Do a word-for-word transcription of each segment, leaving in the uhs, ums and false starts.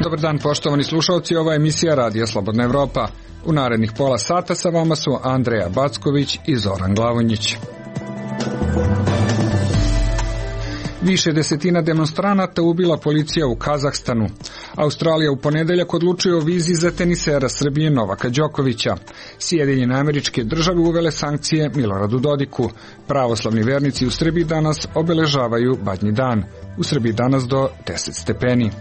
Dobar dan, poštovani slušalci, ova je emisija Radija Slobodna Evropa. U narednih pola sata sa vama su Andreja Backović i Zoran Glavonjić. Više desetina demonstranata ubila policija u Kazahstanu. Australija u ponedeljak odlučuje o vizi za tenisera Srbije Novaka Đokovića. Sjedinjene Američke Države uvele sankcije Miloradu Dodiku. Pravoslavni vernici u Srbiji danas obeležavaju Badnji dan. U Srbiji danas do deset stepeni.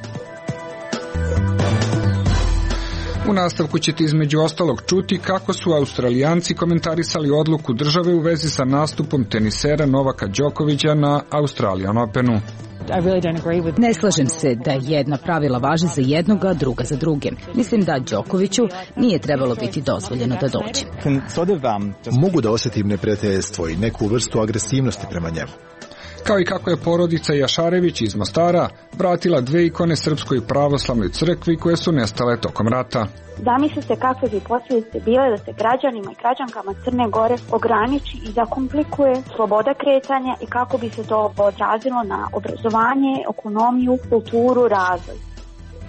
U nastavku ćete između ostalog čuti kako su Australijanci komentarisali odluku države u vezi sa nastupom tenisera Novaka Đokovića na Australian Openu. Ne slažem se da jedna pravila važe za jednog, a druga za druge. Mislim da Đokoviću nije trebalo biti dozvoljeno da dođe. Mogu da osjetim neprijateljstvo i neku vrstu agresivnosti prema njemu. Kao i kako je porodica Jašarević iz Mostara vratila dve ikone Srpskoj pravoslavnoj crkvi koje su nestale tokom rata. Zamislite kakve bi posljedice bile da se građanima i građankama Crne Gore ograniči i zakomplikuje sloboda kretanja i kako bi se to odrazilo na obrazovanje, ekonomiju, kulturu, razvoj.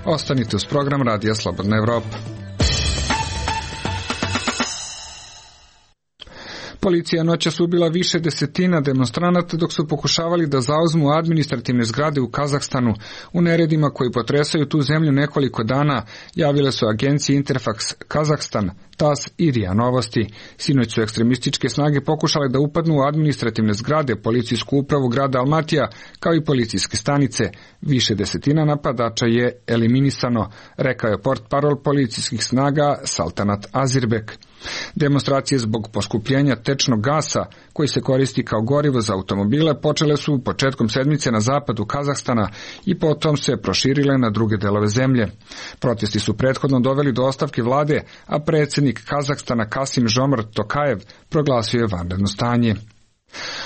Ostanite uz program Radija Slobodna Evropa. Policija noćas ubila više desetina demonstranata dok su pokušavali da zauzmu administrativne zgrade u Kazahstanu. U neredima koji potresaju tu zemlju nekoliko dana javile su agencije Interfax Kazahstan, TAS i RIA Novosti. Sinoć su ekstremističke snage pokušale da upadnu u administrativne zgrade, policijsku upravu grada Almatija, kao i policijske stanice. Više desetina napadača je eliminisano, rekao je portparol policijskih snaga Saltanat Azirbek. Demonstracije zbog poskupljenja tečnog gasa, koji se koristi kao gorivo za automobile, počele su početkom sedmice na zapadu Kazahstana i potom se proširile na druge delove zemlje. Protesti su prethodno doveli do ostavke vlade, a predsjednik Kazahstana Kasim Žomart Tokajev proglasio je vanredno stanje.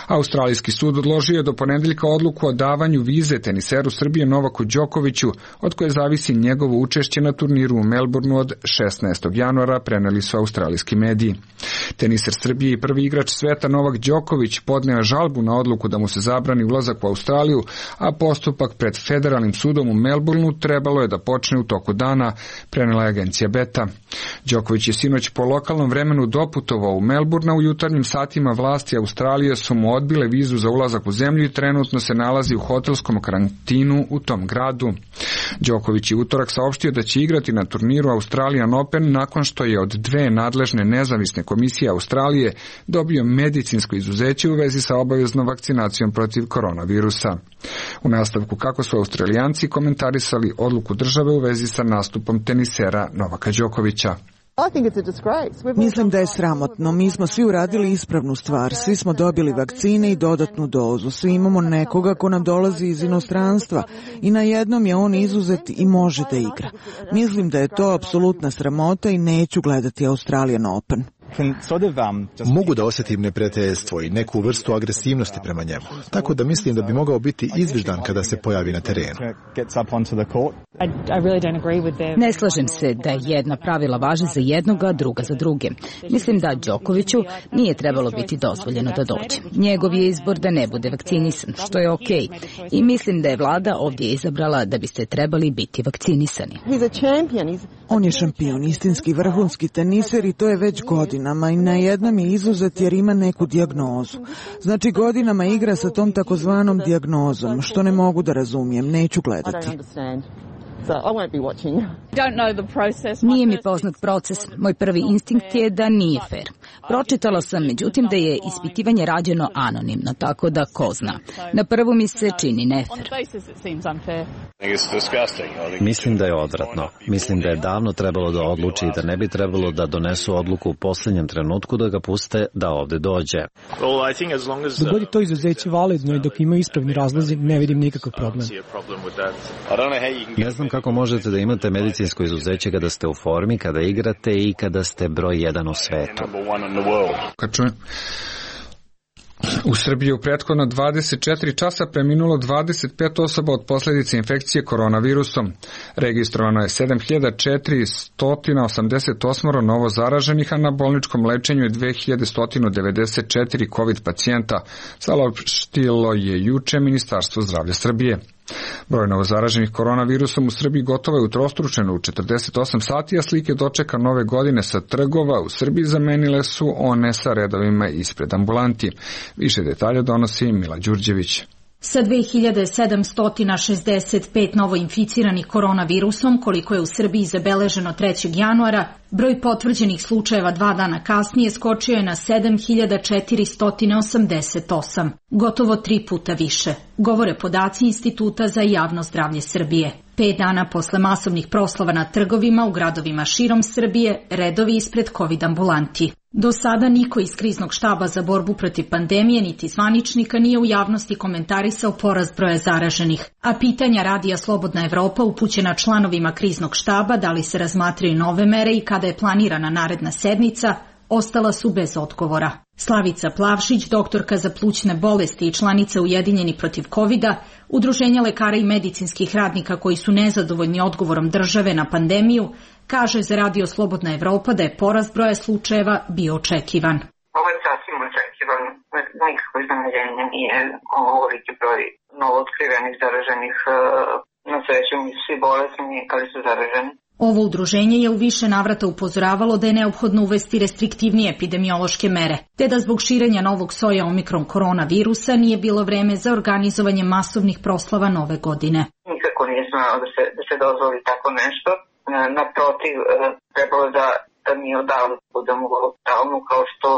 Australijski sud odložio je do ponedeljka odluku o davanju vize teniseru Srbije Novaku Đokoviću, od koje zavisi njegovo učešće na turniru u Melbourneu od šesnaestog januara, preneli su australijski mediji. Teniser Srbije i prvi igrač sveta Novak Đoković podneo je žalbu na odluku da mu se zabrani ulazak u Australiju, a postupak pred federalnim sudom u Melbourneu trebalo je da počne u toku dana, prenela je agencija Beta. Đoković je sinoć po lokalnom vremenu doputovao u Melbourne, u jutarnjim satima vlasti Australije su mu odbile vizu za ulazak u zemlju i trenutno se nalazi u hotelskom karantinu u tom gradu. Đoković je utorak saopštio da će igrati na turniru Australian Open nakon što je od dve nadležne nezavisne komisije Australije dobio medicinsko izuzeće u vezi sa obaveznom vakcinacijom protiv koronavirusa. U nastavku kako su Australijanci komentarisali odluku države u vezi sa nastupom tenisera Novaka Đokovića. Mislim da je sramotno. Mi smo svi uradili ispravnu stvar. Svi smo dobili vakcine i dodatnu dozu. Svi imamo nekoga ko nam dolazi iz inostranstva i na jednom je on izuzet i može da igra. Mislim da je to apsolutna sramota i neću gledati Australian Open. Mogu da osjetim neprijateljstvo i neku vrstu agresivnosti prema njemu, tako da mislim da bi mogao biti izviždan kada se pojavi na terenu. Ne slažem se da jedna pravila važe za jednog, a druga za druge. Mislim da Đokoviću nije trebalo biti dozvoljeno da dođe. Njegov je izbor da ne bude vakcinisan, što je okej. I mislim da je vlada ovdje izabrala da biste trebali biti vakcinisani. On je šampion, istinski vrhunski teniser i to je već godinama i na jednom je izuzet jer ima neku dijagnozu. Znači godinama igra sa tom takozvanom dijagnozom, što ne mogu da razumijem, neću gledati. Nije mi poznat proces. Moj prvi instinkt je da nije fair. Pročitala sam, međutim, da je ispitivanje rađeno anonimno, tako da ko zna. Na prvu mi se čini nefer. Mislim da je odvratno. Mislim da je davno trebalo da odluči i da ne bi trebalo da donesu odluku u posljednjem trenutku da ga puste da ovde dođe. Dok god je to izuzeće validno i dok imaju ispravni razlozi, ne vidim nikakav problem. Ne znam kako možete da imate medicinsko izuzeće kada ste u formi, kada igrate i kada ste broj jedan u svetu. U Srbiji u prethodno dvadeset četiri časa preminulo dvadeset pet osoba od posljedice infekcije koronavirusom. Registrovano je sedam hiljada četiristo osamdeset osam novo zaraženih, a na bolničkom lečenju je dve hiljade sto devedeset četiri COVID pacijenta, saopštilo je juče Ministarstvo zdravlja Srbije. Broj novozaraženih koronavirusom u Srbiji gotovo je utrostručen u četrdeset osam sati, a slike dočeka nove godine sa trgova u Srbiji zamenile su one sa redovima ispred ambulanti. Više detalja donosi Mila Đurđević. Sa dve hiljade sedamsto šezdeset pet novoinficiranih koronavirusom, koliko je u Srbiji zabeleženo trećeg januara, broj potvrđenih slučajeva dva dana kasnije skočio je na sedam hiljada četiristo osamdeset osam, gotovo tri puta više, govore podaci Instituta za javno zdravlje Srbije. Pet dana posle masovnih proslava na trgovima u gradovima širom Srbije, redovi ispred COVID ambulanti. Do sada niko iz kriznog štaba za borbu protiv pandemije niti zvaničnika nije u javnosti komentarisao porast broja zaraženih, a pitanja Radija Slobodna Evropa upućena članovima kriznog štaba da li se razmatraju nove mere i kada je planirana naredna sednica, ostala su bez odgovora. Slavica Plavšić, doktorka za plućne bolesti i članica Ujedinjeni protiv kovida, Udruženja lekara i medicinskih radnika koji su nezadovoljni odgovorom države na pandemiju, kaže za Radio Slobodna Evropa da je porast broja slučajeva bio očekivan. Ovo je sasvim očekivan, nikakvo iznenađenje nije ovoliki broj novootkrivenih zaraženih, na sreću mi svi bolesni, ali su zaraženi. Ovo udruženje je u više navrata upozoravalo da je neophodno uvesti restriktivnije epidemiološke mere, te da zbog širenja novog soja omikron koronavirusa nije bilo vreme za organizovanje masovnih proslava nove godine. Nikako nije smelo da se, da se dozvoli tako nešto. Naprotiv, trebalo da, da mi odavno budemo u lockdownu kao što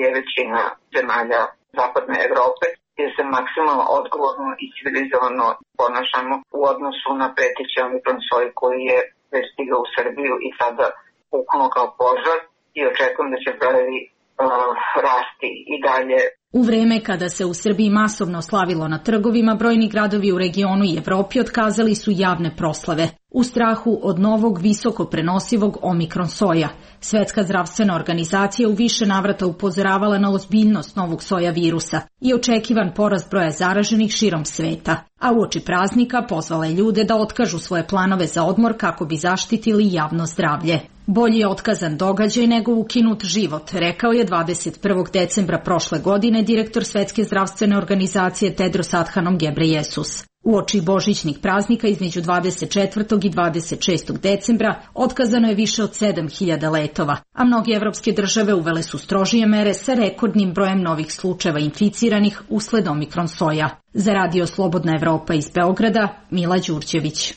je većina zemalja zapadne Evrope, gdje se maksimalno odgovorno i civilizovano ponašamo u odnosu na preteći omikron soj koji je već stigao u Srbiju i sada puknuo kao požar i očekujem da će brojevi uh, rasti i dalje. U vreme kada se u Srbiji masovno slavilo na trgovima, brojni gradovi u regionu i Evropi otkazali su javne proslave, u strahu od novog visoko prenosivog omikron soja. Svetska zdravstvena organizacija u više navrata upozoravala na ozbiljnost novog soja virusa i očekivan porast broja zaraženih širom sveta, a uoči praznika pozvala je ljude da otkažu svoje planove za odmor kako bi zaštitili javno zdravlje. Bolji je otkazan događaj nego ukinut život, rekao je dvadeset prvog decembra prošle godine direktor Svetske zdravstvene organizacije Tedros Adhanom Ghebreyesus. Uoči božićnih praznika između dvadeset četvrtog i dvadeset šestog decembra otkazano je više od sedam hiljada letova, a mnoge evropske države uvele su strožije mere sa rekordnim brojem novih slučajeva inficiranih usled omikron soja. Za Radio Slobodna Evropa iz Beograda, Mila Đurđević.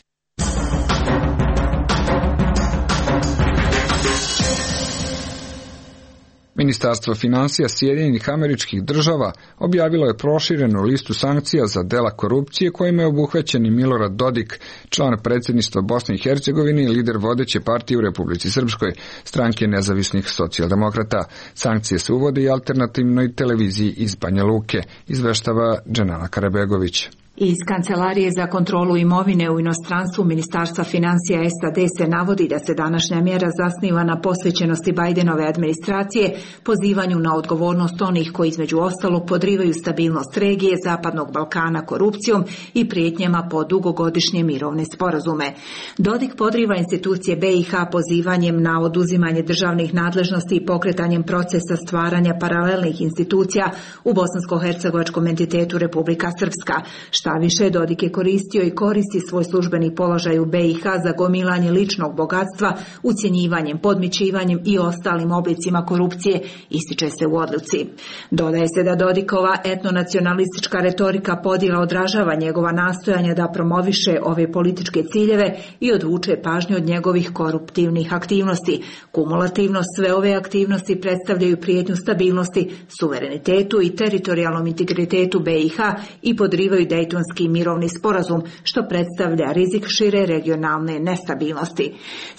Ministarstvo finansija Sjedinjenih Američkih Država objavilo je proširenu listu sankcija za dela korupcije kojima je obuhvaćen i Milorad Dodik, član predsjedništva Bosne i Hercegovine i lider vodeće partije u Republici Srpskoj, stranke nezavisnih socijaldemokrata. Sankcije se uvode i alternativnoj televiziji iz Banja Luke, izveštava Dženana Karabegović. Iz Kancelarije za kontrolu imovine u inostranstvu Ministarstva financija S A D se navodi da se današnja mjera zasniva na posvećenosti Bajdenove administracije, pozivanju na odgovornost onih koji između ostalog podrivaju stabilnost regije Zapadnog Balkana korupcijom i prijetnjama po dugogodišnje mirovne sporazume. Dodik podriva institucije B i H pozivanjem na oduzimanje državnih nadležnosti i pokretanjem procesa stvaranja paralelnih institucija u bosansko-hercegovačkom entitetu Republika Srpska. Šta više, Dodik je koristio i koristi svoj službeni položaj u B i H za gomilanje ličnog bogatstva, ucjenjivanjem, podmićivanjem i ostalim oblicima korupcije, ističe se u odluci. Dodaje se da Dodikova etnonacionalistička retorika podjela odražava njegova nastojanja da promoviše ove političke ciljeve i odvuče pažnju od njegovih koruptivnih aktivnosti. Kumulativno sve ove aktivnosti predstavljaju prijetnju stabilnosti, suverenitetu i teritorijalnom integritetu B i H i podrivaju Dejtonski Dejtonski mirovni sporazum, što predstavlja rizik šire regionalne nestabilnosti.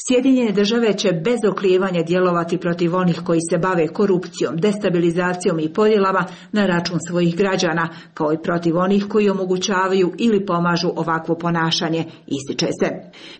Sjedinjene države će bez oklijevanja djelovati protiv onih koji se bave korupcijom, destabilizacijom i podjelama na račun svojih građana, kao i protiv onih koji omogućavaju ili pomažu ovakvo ponašanje, ističe se.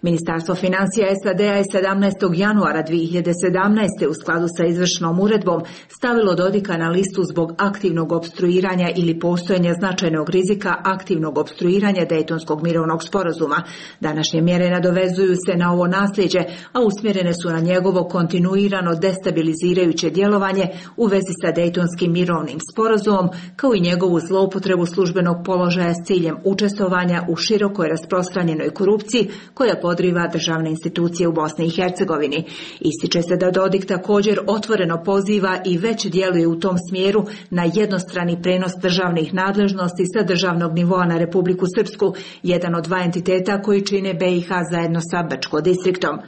Ministarstvo financija S A D-a je sedamnaestog januara dvije hiljade sedamnaeste u skladu sa izvršnom uredbom stavilo Dodika na listu zbog aktivnog opstruiranja ili postojanja značajnog rizika aktivnog opstruiranja Dejtonskog mirovnog sporazuma. Današnje mjere nadovezuju se na ovo nasljeđe, a usmjerene su na njegovo kontinuirano destabilizirajuće djelovanje u vezi sa Dejtonskim mirovnim sporazumom, kao i njegovu zloupotrebu službenog položaja s ciljem učestvovanja u širokoj rasprostranjenoj korupciji koja podriva državne institucije u Bosni i Hercegovini. Ističe se da Dodik također otvoreno poziva i već djeluje u tom smjeru na jednostrani prenos državnih nadležnosti sa državnog nivoa na Republiku Srpsku, jedan od dva entiteta koji čine B i H zajedno sa Brčko distriktom.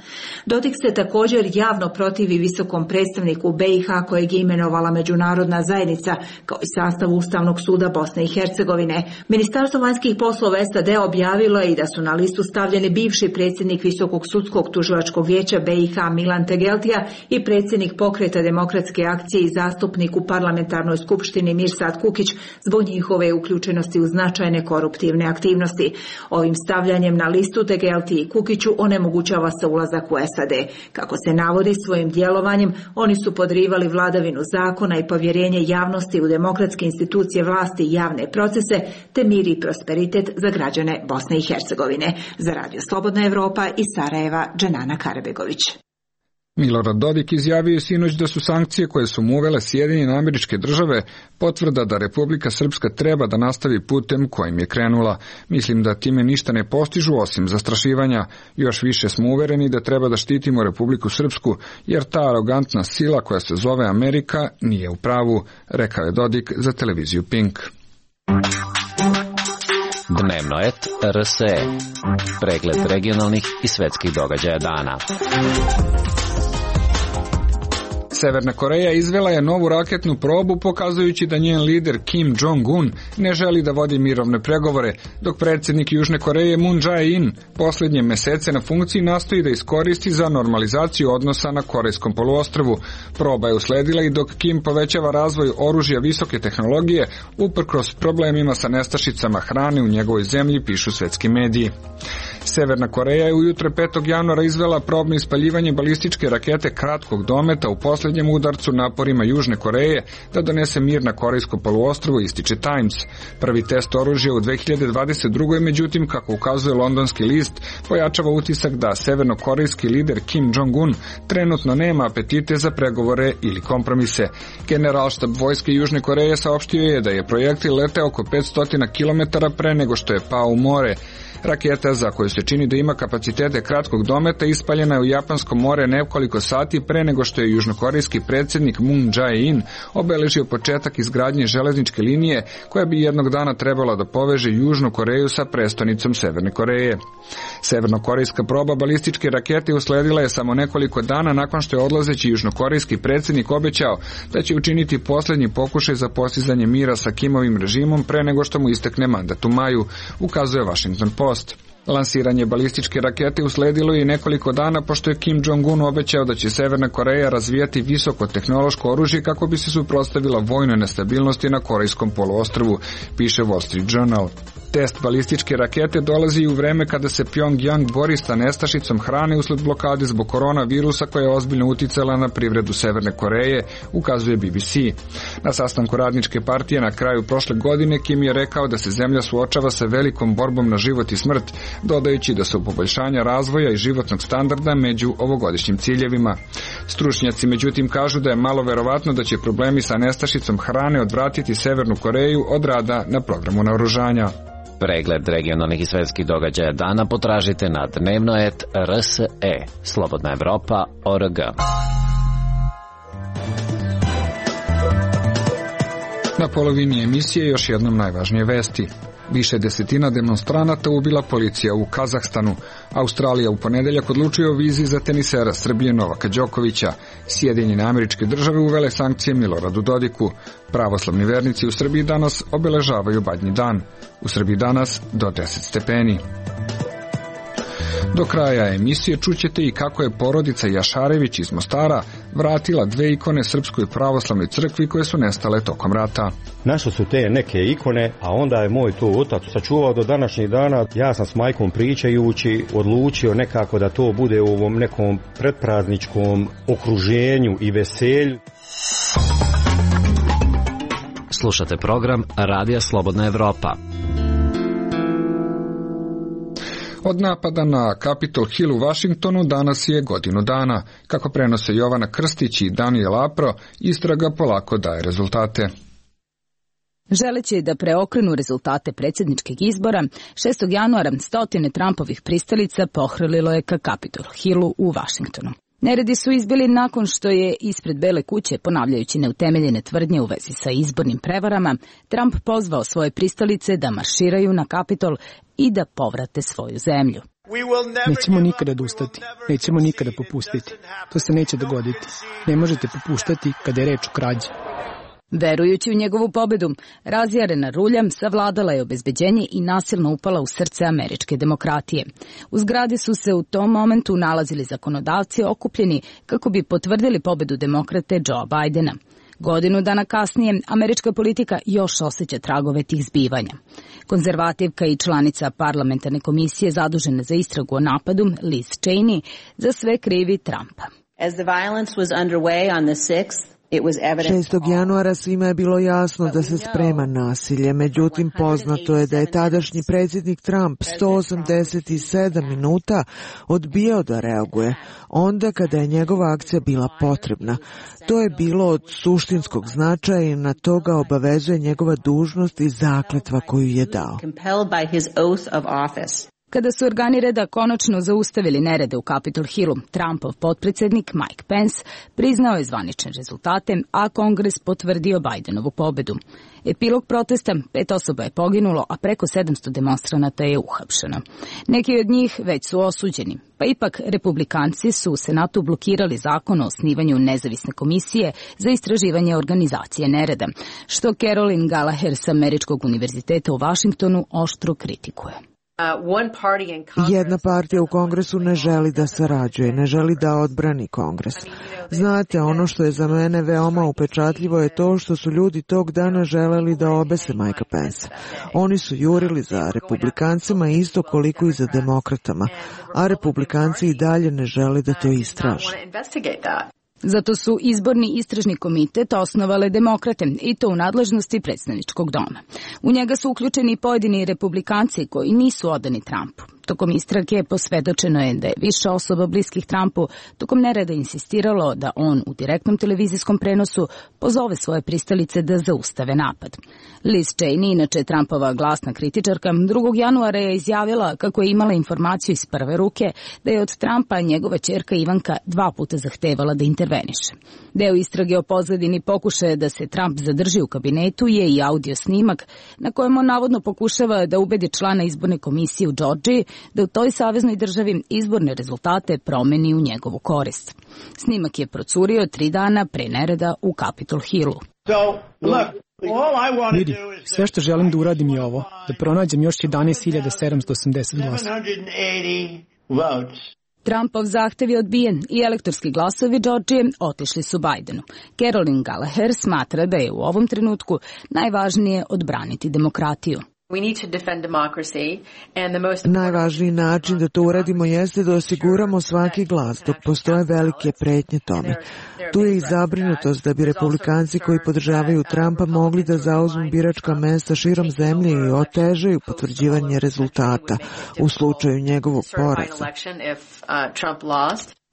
Dodik se također javno protivi visokom predstavniku B i H kojeg je imenovala međunarodna zajednica, kao i sastav Ustavnog suda Bosne i Hercegovine. Ministarstvo vanjskih poslova S A D objavilo je i da su na listu stavljeni bivši predsjednik Visokog sudskog tužilačkog vijeća B i H Milan Tegeltija i predsjednik Pokreta demokratske akcije i zastupnik u parlamentarnoj skupštini Mirsad Kukić zbog njihove uključenosti u značajne koruptivne aktivnosti. Ovim stavljanjem na listu Tegeltiji i Kukiću onemogućava se ulazak u S A D. Kako se navodi, svojim djelovanjem oni su podrivali vladavinu zakona i povjerenje javnosti u demokratske institucije vlasti i javne procese, te mir i prosperitet za građane Bosne i Hercegovine. Za Radio Slobodna Evropa iz Sarajeva, Dženana Karabegović. Milorad Dodik izjavio je sinoć da su sankcije koje su mu uvele Sjedinjene Američke Države potvrda da Republika Srpska treba da nastavi putem kojim je krenula. Mislim da time ništa ne postižu osim zastrašivanja. Još više smo uvereni da treba da štitimo Republiku Srpsku, jer ta arogantna sila koja se zove Amerika nije u pravu, rekao je Dodik za televiziju Pink. Dnevno et R S E. Pregled regionalnih i svetskih događaja dana. Severna Koreja izvela je novu raketnu probu pokazujući da njen lider Kim Jong-un ne želi da vodi mirovne pregovore, dok predsjednik Južne Koreje Moon Jae-in posljednje mesece na funkciji nastoji da iskoristi za normalizaciju odnosa na Korejskom poluostrvu. Proba je usledila i dok Kim povećava razvoj oružja visoke tehnologije uprkos problemima sa nestašicama hrane u njegovoj zemlji, pišu svetski mediji. Severna Koreja je ujutro petog januara izvela probno ispaljivanje balističke rakete kratkog dometa u posljednjem udarcu naporima Južne Koreje da donese mir na Korejsko poluostrvo, ističe Times. Prvi test oružja u dve hiljade dvadeset drugoj. međutim, kako ukazuje londonski list, pojačava utisak da severnokorejski lider Kim Jong-un trenutno nema apetite za pregovore ili kompromise. Generalštab vojske Južne Koreje saopštio je da je projektil leteo oko petsto kilometara pre nego što je pao u more. Raketa, za koju se čini da ima kapacitete kratkog dometa, ispaljena je u Japansko more nekoliko sati pre nego što je južnokorejski predsjednik Moon Jae-in obeležio početak izgradnje železničke linije koja bi jednog dana trebala da poveže Južnu Koreju sa prestonicom Severne Koreje. Severnokorejska proba balističke rakete usledila je samo nekoliko dana nakon što je odlazeći južnokorejski predsjednik obećao da će učiniti posljednji pokušaj za postizanje mira sa Kimovim režimom pre nego što mu istekne mandat u maju, ukazuje Washington Post. Lansiranje balističke rakete usledilo je nekoliko dana pošto je Kim Jong-un obećao da će Severna Koreja razvijati visoko tehnološko oružje kako bi se suprotstavila vojnoj nestabilnosti na Korejskom poluostrvu, piše Wall Street Journal. Test balističke rakete dolazi u vreme kada se Pyongyang bori sa nestašicom hrane usled blokade zbog koronavirusa koja je ozbiljno uticala na privredu Severne Koreje, ukazuje B B C. Na sastanku radničke partije na kraju prošle godine Kim je rekao da se zemlja suočava sa velikom borbom na život i smrt, dodajući da su poboljšanja razvoja i životnog standarda među ovogodišnjim ciljevima. Stručnjaci međutim kažu da je malo verovatno da će problemi sa nestašicom hrane odvratiti Severnu Koreju od rada na programu naoružanja. Pregled regionalnih i svetskih događaja dana potražite na dnevno et R S E. Slobodna Evropa, O R G. Na polovini emisije još jednom najvažnije vesti. Više desetina demonstranata ubila policija u Kazahstanu. Australija u ponedeljak odlučuje o vizi za tenisera Srbije Novaka Đokovića. Sjedinjene Američke Države uvele sankcije Miloradu Dodiku. Pravoslavni vernici u Srbiji danas obeležavaju Badnji dan. U Srbiji danas do deset stepeni. Do kraja emisije čućete i kako je porodica Jašarević iz Mostara vratila dve ikone Srpskoj pravoslavnoj crkvi koje su nestale tokom rata. Našli su te neke ikone, a onda je moj to otac sačuvao do današnjih dana. Ja sam s majkom pričajući odlučio nekako da to bude u ovom nekom pretprazničkom okruženju i veselju. Slušate program Radija Slobodna Evropa. Od napada na Capitol Hill u Vašingtonu danas je godinu dana. Kako prenose Jovana Krstić i Daniel Apro, istraga polako daje rezultate. Želeći da preokrenu rezultate predsjedničkih izbora, šestog januara stotine Trumpovih pristalica pohrlilo je ka Capitol Hillu u Vašingtonu. Neredi su izbili nakon što je ispred Bele kuće, ponavljajući neutemeljene tvrdnje u vezi sa izbornim prevarama, Trump pozvao svoje pristalice da marširaju na Kapitol i da povrate svoju zemlju. Nećemo nikada odustati, nećemo nikada popustiti. To se neće dogoditi. Ne možete popuštati kada je reč o krađi. Verujući u njegovu pobedu, razjarena rulja savladala je obezbeđenje i nasilno upala u srce američke demokratije. U zgradi su se u tom momentu nalazili zakonodavci okupljeni kako bi potvrdili pobedu demokrate Joea Bidena. Godinu dana kasnije, američka politika još osjeća tragove tih zbivanja. Konzervativka i članica parlamentarne komisije zadužena za istragu o napadu, Liz Cheney, za sve krivi Trumpa. As the violence was underway on the sixth, šestog januara svima je bilo jasno da se sprema nasilje, međutim poznato je da je tadašnji predsjednik Trump sto osamdeset sedam minuta odbijao da reaguje, onda kada je njegova akcija bila potrebna. To je bilo od suštinskog značaja i na to ga obavezuje njegova dužnost i zakletva koju je dao. Kada su organi reda konačno zaustavili nerede u Capitol Hillu, Trumpov potpredsjednik Mike Pence priznao je zvanične rezultate, a Kongres potvrdio Bidenovu pobedu. Epilog protesta, pet osoba je poginulo, a preko sedamsto demonstranata je uhapšeno. Neki od njih već su osuđeni, pa ipak republikanci su u Senatu blokirali zakon o osnivanju nezavisne komisije za istraživanje organizacije nereda, što Carolyn Gallagher sa Američkog univerziteta u Vašingtonu oštro kritikuje. Jedna partija u Kongresu ne želi da sarađuje, ne želi da odbrani Kongres. Znate, ono što je za mene veoma upečatljivo je to što su ljudi tog dana želeli da obese Mikea Pence. Oni su jurili za republikancima isto koliko i za demokratama, a republikanci i dalje ne žele da to istraže. Zato su izborni istražni komitet osnovale demokrate i to u nadležnosti predstavničkog doma. U njega su uključeni pojedini republikanci koji nisu odani Trumpu. Tokom istrage posvedočeno je da je više osoba bliskih Trumpu tokom nereda insistiralo da on u direktnom televizijskom prenosu pozove svoje pristalice da zaustave napad. Liz Cheney, inače Trumpova glasna kritičarka, drugog januara je izjavila kako je imala informaciju iz prve ruke da je od Trumpa njegova ćerka Ivanka dva puta zahtevala da interveniše. Deo istrage o pozadini pokušaja da se Trump zadrži u kabinetu je i audio snimak na kojem on navodno pokušava da ubedi člana izborne komisije u Džordžiji da u toj saveznoj državi izborne rezultate promeni u njegovu korist. Snimak je procurio tri dana pre nereda u Capitol Hillu. Vidi, sve što želim da uradim je ovo, da pronađem još jedanaest hiljada sedamsto osamdeset glasa. Trumpov zahtev je odbijen i elektorski glasovi Džordžije otišli su Bidenu. Carolyn Gallagher smatra da je u ovom trenutku najvažnije odbraniti demokratiju. Najvažniji način da to uradimo jeste da osiguramo svaki glas, dok postoje velike pretnje tome. Tu je i zabrinutost da bi republikanci koji podržavaju Trumpa mogli da zauzmu biračka mesta širom zemlje i otežaju potvrđivanje rezultata u slučaju njegovog poraza.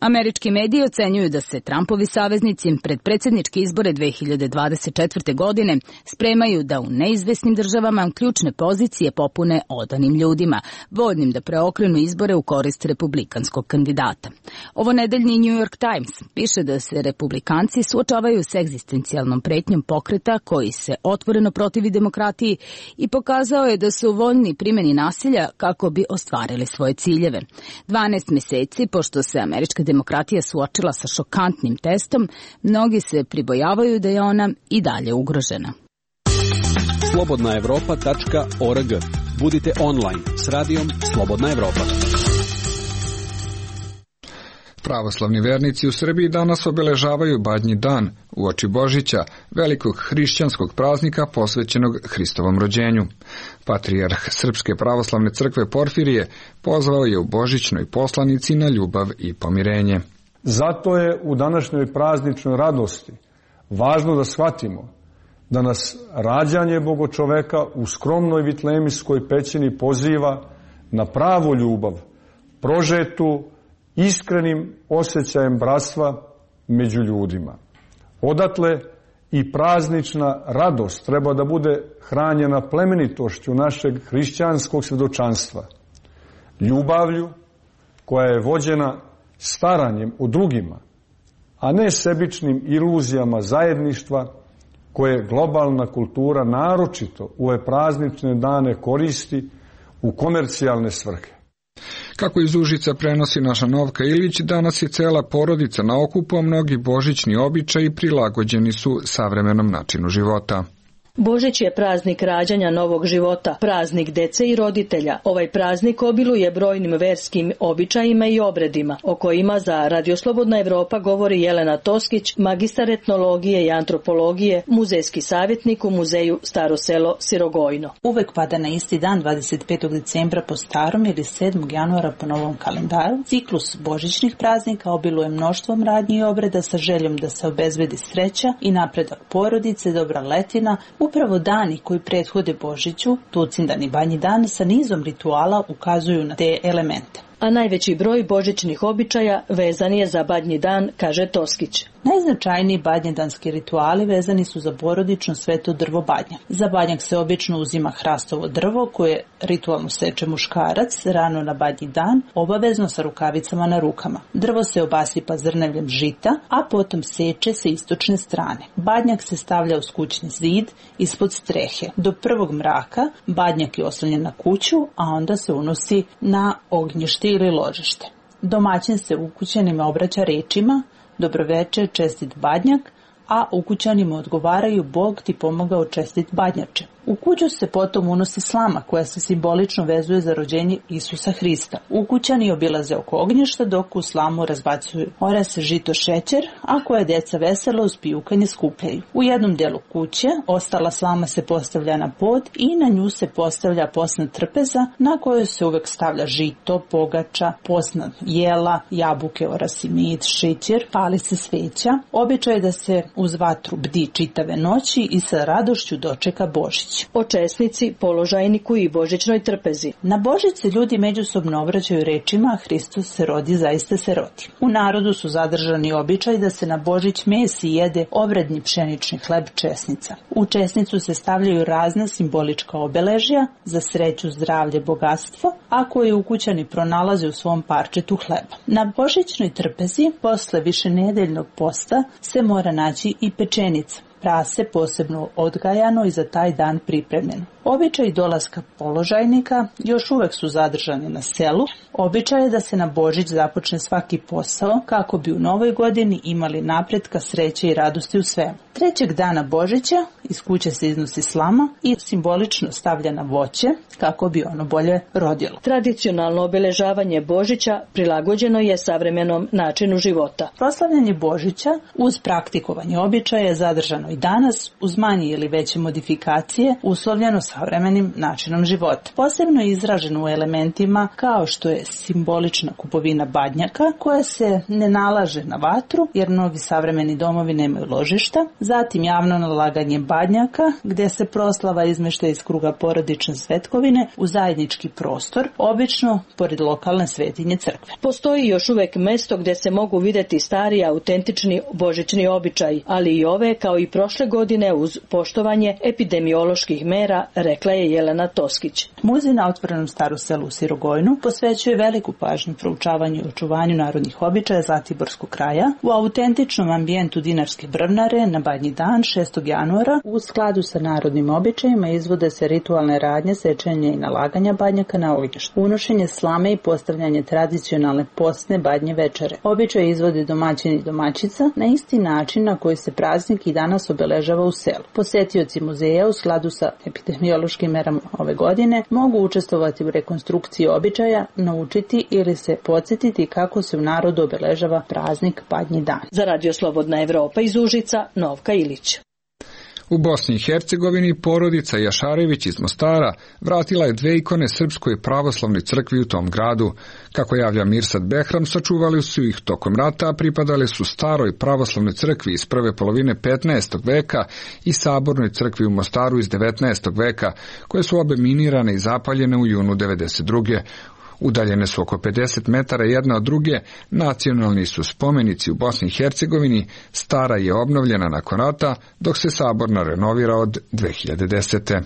Američki mediji ocenjuju da se Trumpovi saveznici pred predsjedničke izbore dve hiljade dvadeset četvrte. godine spremaju da u neizvesnim državama ključne pozicije popune odanim ljudima, voljnim da preokrenu izbore u korist republikanskog kandidata. Ovo nedeljni New York Times piše da se republikanci suočavaju s egzistencijalnom pretnjom pokreta koji se otvoreno protivi demokratiji i pokazao je da su voljni primjeni nasilja kako bi ostvarili svoje ciljeve. dvanaest meseci, pošto se američka demokratija suočila sa šokantnim testom, mnogi se pribojavaju da je ona i dalje ugrožena. slobodna evropa tačka org. Budite online s radijom Slobodna Evropa. Pravoslavni vernici u Srbiji danas obeležavaju Badnji dan, uoči Božića, velikog hrišćanskog praznika posvećenog Hristovom rođenju. Patrijarh Srpske pravoslavne crkve Porfirije pozvao je u božićnoj poslanici na ljubav i pomirenje. Zato je u današnjoj prazničnoj radosti važno da shvatimo da nas rađanje Bogočoveka u skromnoj vitlemijskoj pećini poziva na pravu ljubav, prožetu iskrenim osjećajem bratstva među ljudima. Odatle i praznična radost treba da bude hranjena plemenitošću našeg hrišćanskog svjedočanstva, ljubavlju koja je vođena staranjem o drugima, a ne sebičnim iluzijama zajedništva koje globalna kultura naročito u ove praznične dane koristi u komercijalne svrhe. Kako iz Užica prenosi naša Novka Ilić, danas je cela porodica na okupu, a mnogi božićni običaji prilagođeni su savremenom načinu života. Božić je praznik rađanja novog života, praznik dece i roditelja. Ovaj praznik obiluje brojnim verskim običajima i obredima, o kojima za Radio Slobodna Evropa govori Jelena Toskić, magistar etnologije i antropologije, muzejski savjetnik u muzeju Staro selo Sirogojno. Uvek pada na isti dan, dvadeset petog decembra po starom ili sedmog januara po novom kalendaru. Ciklus božićnih praznika obiluje mnoštvom radnji i obreda sa željom da se obezbedi sreća i napredak porodice, dobra letina. Upravo dani koji prethode Božiću, Tucindan i Badnji dan, sa nizom rituala ukazuju na te elemente. A najveći broj božićnih običaja vezan je za Badnji dan, kaže Toskić. Najznačajniji badnjedanski rituali vezani su za porodično sveto drvo badnjak. Za badnjak se obično uzima hrastovo drvo koje ritualno seče muškarac rano na Badnji dan, obavezno sa rukavicama na rukama. Drvo se obasipa zrnevljem žita, a potom seče sa istočne strane. Badnjak se stavlja uz kućni zid ispod strehe. Do prvog mraka badnjak je oslonjen na kuću, a onda se unosi na ognjište ili ložište. Domaćin se ukućanima obraća rečima: dobroveče, čestit badnjak, a ukućanima odgovaraju: Bog ti pomogao, čestit badnjače. U kuću se potom unosi slama koja se simbolično vezuje za rođenje Isusa Hrista. Ukućani obilaze oko ognjišta dok u slamu razbacuju orase, žito, šećer, a koje deca veselo uz pijukanje skupljaju. U jednom delu kuće ostala slama se postavlja na pod i na nju se postavlja posna trpeza na kojoj se uvek stavlja žito, pogača, posna jela, jabuke, orasi, med, šećer, pali se sveća. Običaj je da se uz vatru bdi čitave noći i sa radošću dočeka Božić. O česnici, položajniku i božićnoj trpezi. Na Božić se ljudi međusobno obraćaju rečima: Hristos se rodi, zaista se rodi. U narodu su zadržani običaj da se na Božić mesi jede obredni pšenični hleb, česnica. U česnicu se stavljaju razna simbolička obeležja za sreću, zdravlje, bogatstvo, a koje ukućani pronalaze u svom parčetu hleba. Na božićnoj trpezi, posle višenedeljnog posta, se mora naći i pečenica, prase posebno odgajano i za taj dan pripremljeno. Običaj dolaska položajnika još uvek su zadržani na selu. Običaj je da se na Božić započne svaki posao kako bi u novoj godini imali napretka, sreće i radosti u svemu. Trećeg dana Božića iz kuće se iznosi slama i simbolično stavlja na voće kako bi ono bolje rodilo. Tradicionalno obeležavanje Božića prilagođeno je savremenom načinu života. Proslavljanje Božića uz praktikovanje običaja je zadržano održano i danas uz manje ili veće modifikacije uslovljeno savremenim načinom života. Posebno je izraženo u elementima kao što je simbolična kupovina badnjaka koja se ne nalaže na vatru jer mnogi savremeni domovi nemaju ložišta, zatim javno nalaganje badnjaka gdje se proslava izmešta iz kruga porodične svetkovine u zajednički prostor, obično pored lokalne svetinje crkve. Postoji još uvek mesto gdje se mogu vidjeti stari autentični božićni običaji, ali i ove kao i prošle godine uz poštovanje epidemioloških mera, rekla je Jelena Toskić. Muzej na otvorenom Staru selu u Sirogojnu posvećuje veliku pažnju proučavanju i očuvanju narodnih običaja Zlatiborskog kraja u autentičnom ambijentu Dinarske brvnare na Badnji dan šestog januara. U skladu sa narodnim običajima izvode se ritualne radnje sečenja i nalaganja badnjaka na ognjištu, unošenje slame i postavljanje tradicionalne postne badnje večere. Običaj izvode domaćini i domaćica na isti način na koji se praznik i danas obeležava u selu. Posetioci muzeja u skladu sa epidemiološkim merama ove godine mogu učestvovati u rekonstrukciji običaja, naučiti ili se podsjetiti kako se u narodu obeležava praznik Badnji dan. Za Radio Slobodna Evropa iz Užica, Novka Ilić. U Bosni i Hercegovini porodica Jašarević iz Mostara vratila je dve ikone Srpskoj pravoslavnoj crkvi u tom gradu. Kako javlja Mirsad Behram, sačuvali su ih tokom rata, a pripadale su staroj pravoslavnoj crkvi iz prve polovine petnaestog veka i sabornoj crkvi u Mostaru iz devetnaestog veka, koje su obe minirane i zapaljene u junu devedeset druge. Udaljene su oko pedeset metara jedna od druge, nacionalni su spomenici u Bosni i Hercegovini, stara je obnovljena nakon rata, dok se saborna renovira od dve hiljade desete.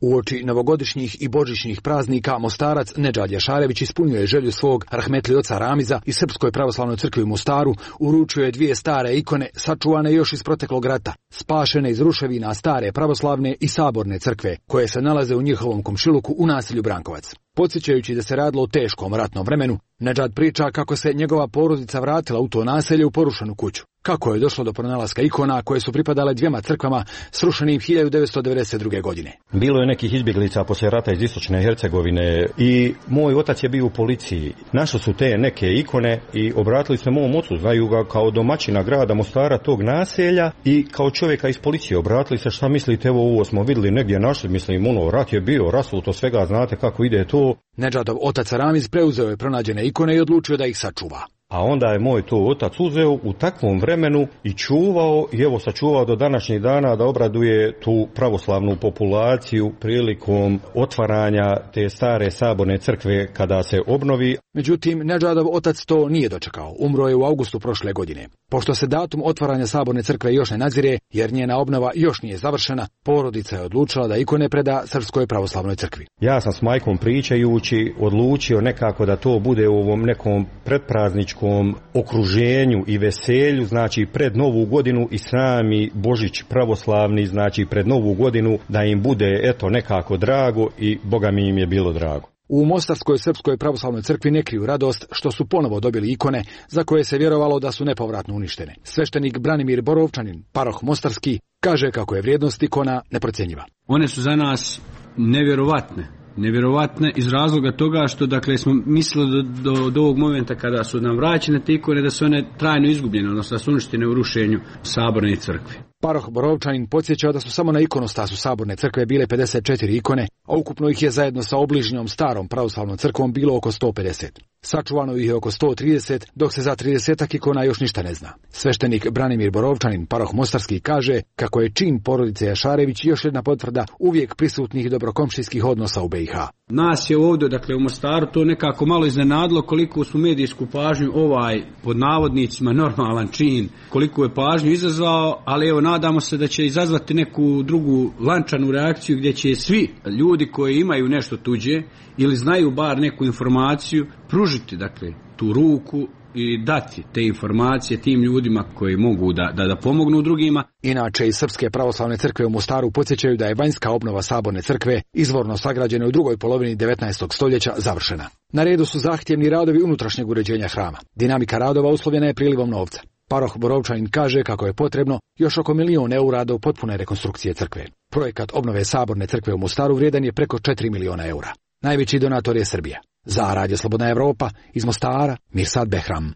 Uoči novogodišnjih i božićnih praznika Mostarac Nedžad Jašarević ispunjuje želju svog rahmetli oca Ramiza i Srpskoj pravoslavnoj crkvi u Mostaru, uručio je dvije stare ikone sačuvane još iz proteklog rata, spašene iz ruševina stare pravoslavne i saborne crkve, koje se nalaze u njihovom komšiluku u naselju Brankovac. Podsjećajući da se radilo o teškom ratnom vremenu, Nedžad priča kako se njegova porodica vratila u to naselje u porušenu kuću. Kako je došlo do pronalaska ikona koje su pripadale dvijema crkvama srušenim hiljadu devetsto devedeset druge. godine. Bilo je nekih izbjeglica poslije rata iz istočne Hercegovine i moj otac je bio u policiji. Našli su te neke ikone i obratili se mom ocu, znaju ga kao domaćina grada Mostara, tog naselja, i kao čovjeka iz policije obratili se, šta mislite, evo ovo smo vidjeli negdje našli, mislim, ono, rat je bio, rasuto svega, znate kako ide to. Nedžadov otac Ramiz preuzeo je pronađene ikone i odlučio da ih sačuva. A onda je moj to otac uzeo u takvom vremenu i čuvao, i evo sačuvao do današnjih dana da obraduje tu pravoslavnu populaciju prilikom otvaranja te stare saborne crkve kada se obnovi. Međutim, Nedžadov otac to nije dočekao. Umro je u augustu prošle godine. Pošto se datum otvaranja saborne crkve još ne nadzire, jer njena obnova još nije završena, porodica je odlučila da ikone preda Srpskoj pravoslavnoj crkvi. Ja sam s majkom pričajući odlučio nekako da to bude u ovom nekom pretprazničkom okruženju i veselju, znači pred Novu godinu i sami Božić pravoslavni, znači pred Novu godinu, da im bude eto nekako drago, i Boga mi im je bilo drago. U Mostarskoj Srpskoj pravoslavnoj crkvi ne kriju radost što su ponovo dobili ikone za koje se vjerovalo da su nepovratno uništene. Sveštenik Branimir Borovčanin, paroh Mostarski, kaže kako je vrijednost ikona neprocjenjiva. One su za nas nevjerovatne. Nevjerovatne iz razloga toga što, dakle, smo mislili do, do, do ovog momenta kada su nam vraćene te ikone da su one trajno izgubljene, odnosno da su uništene u rušenju saborne crkve. Paroh Borovčanin podsjeća da su samo na ikonostasu saborne crkve bile pedeset četiri ikone, a ukupno ih je zajedno sa obližnjom starom pravoslavnom crkvom bilo oko sto pedeset. Sačuvano ih je oko sto trideset, dok se za tridesetak ikona još ništa ne zna. Sveštenik Branimir Borovčanin, paroh Mostarski, kaže kako je čin porodice Jašarević još jedna potvrda uvijek prisutnih dobrokomšijskih odnosa u B i H. Nas je ovdje, dakle u Mostaru, to nekako malo iznenadilo koliko su medijsku pažnju ovaj, pod navodnicima, normalan čin, koliko je pažnju izazvao, ali evo nadamo se da će izazvati neku drugu lančanu reakciju gdje će svi ljudi koji imaju nešto tuđe ili znaju bar neku informaciju pružiti, dakle, tu ruku i dati te informacije tim ljudima koji mogu da, da, da pomognu drugima. Inače, iz Srpske pravoslavne crkve u Mostaru podsjećaju da je vanjska obnova saborne crkve, izvorno sagrađene u drugoj polovini devetnaestog stoljeća, završena. Na redu su zahtjevni radovi unutrašnjeg uređenja hrama. Dinamika radova uslovljena je prilivom novca. Paroh Borovčanin kaže kako je potrebno još oko milion eura do potpune rekonstrukcije crkve. Projekat obnove saborne crkve u Mostaru vrijedan je preko četiri miliona eura. Najveći donator je Srbija. Za Radio Slobodna Evropa, iz Mostara, Mirsad Behram.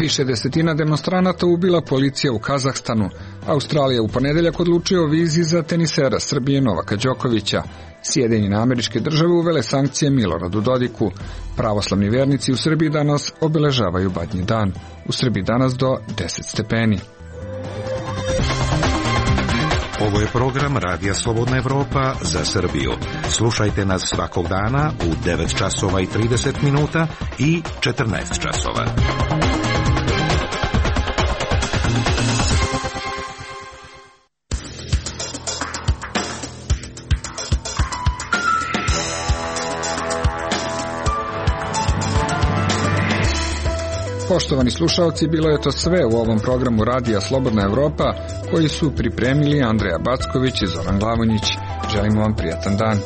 Više desetina demonstranata ubila policija u Kazahstanu. Australija u ponedeljak odlučio o vizi za tenisera Srbije Novaka Đokovića. Sjedinjene Američke Države uvele sankcije Miloradu Dodiku. Pravoslavni vernici u Srbiji danas obeležavaju Badnji dan. U Srbiji danas do deset stepeni. Ovo je program Radija Slobodna Evropa za Srbiju. Slušajte nas svakog dana u devet časova i trideset minuta i četrnaest časova. Poštovani slušalci, bilo je to sve u ovom programu Radija Slobodna Evropa koji su pripremili Andreja Backović i Zoran Glavonjić. Želimo vam prijatan dan.